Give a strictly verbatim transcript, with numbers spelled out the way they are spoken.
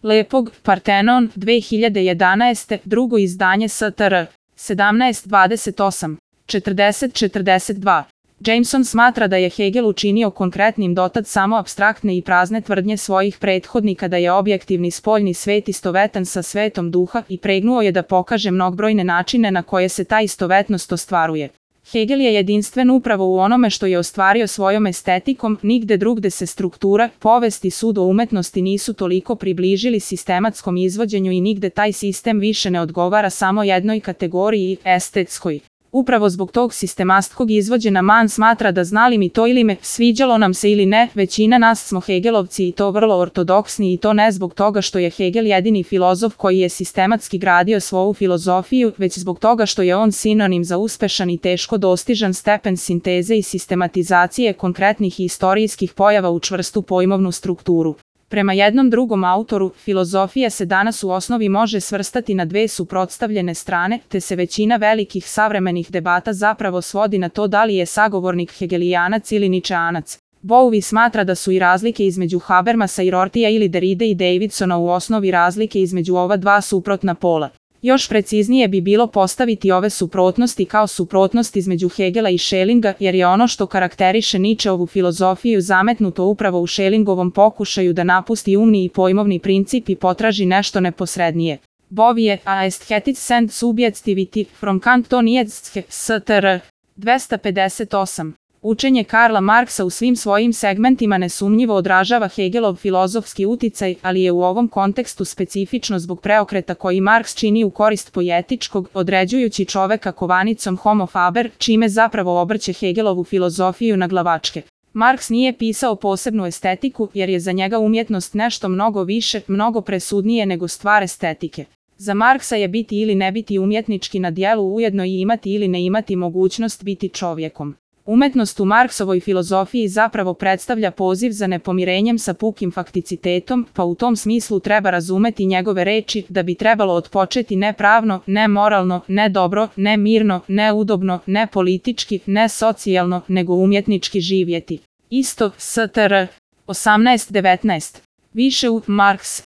Lepog, Partenon, dve hiljade jedanaeste. drugo izdanje S T R. sedamnaest dvadeset osam. četrdeset četrdeset dva. Jameson smatra da je Hegel učinio konkretnim dotad samo apstraktne i prazne tvrdnje svojih prethodnika da je objektivni spoljni svet istovetan sa svetom duha i pregnuo je da pokaže mnogobrojne načine na koje se ta istovetnost ostvaruje. Hegel je jedinstven upravo u onome što je ostvario svojom estetikom, nigde drugde se struktura, povest i sud o umetnosti nisu toliko približili sistematskom izvođenju i nigde taj sistem više ne odgovara samo jednoj kategoriji, estetskoj. Upravo zbog tog sistematskog izvođena Man smatra da znali mi to ili me, sviđalo nam se ili ne, većina nas smo Hegelovci i to vrlo ortodoksni i to ne zbog toga što je Hegel jedini filozof koji je sistematski gradio svoju filozofiju, već zbog toga što je on sinonim za uspešan i teško dostižan stepen sinteze i sistematizacije konkretnih i istorijskih pojava u čvrstu pojmovnu strukturu. Prema jednom drugom autoru, filozofija se danas u osnovi može svrstati na dve suprotstavljene strane, te se većina velikih savremenih debata zapravo svodi na to da li je sagovornik hegelijanac ili ničeanac. Bowie smatra da su i razlike između Habermasa i Rortija ili Derride i Davidsona u osnovi razlike između ova dva suprotna pola. Još preciznije bi bilo postaviti ove suprotnosti kao suprotnost između Hegela i Schellinga, jer je ono što karakteriše Nietzscheovu filozofiju zametnuto upravo u Schellingovom pokušaju da napusti umni i pojmovni princip i potraži nešto neposrednije. Bowie, A Aesthetics and Subjectivity, from Kant to Nietzsche, S T R. dvesta pedeset osam. Učenje Karla Marksa u svim svojim segmentima nesumnjivo odražava Hegelov filozofski uticaj, ali je u ovom kontekstu specifično zbog preokreta koji Marks čini u korist poetičkog, određujući čoveka kovanicom homo faber, čime zapravo obrće Hegelovu filozofiju na glavačke. Marks nije pisao posebnu estetiku, jer je za njega umjetnost nešto mnogo više, mnogo presudnije nego stvar estetike. Za Marksa je biti ili ne biti umjetnički na djelu ujedno i imati ili ne imati mogućnost biti čovjekom. Umetnost u Marksovoj filozofiji zapravo predstavlja poziv za nepomirenjem sa pukim fakticitetom, pa u tom smislu treba razumeti njegove reči da bi trebalo otpočeti ne pravno, ne moralno, ne dobro, ne mirno, ne udobno, ne politički, ne socijalno, nego umjetnički živjeti. Isto, S T R. osamnaest devetnaest. Više u Marks.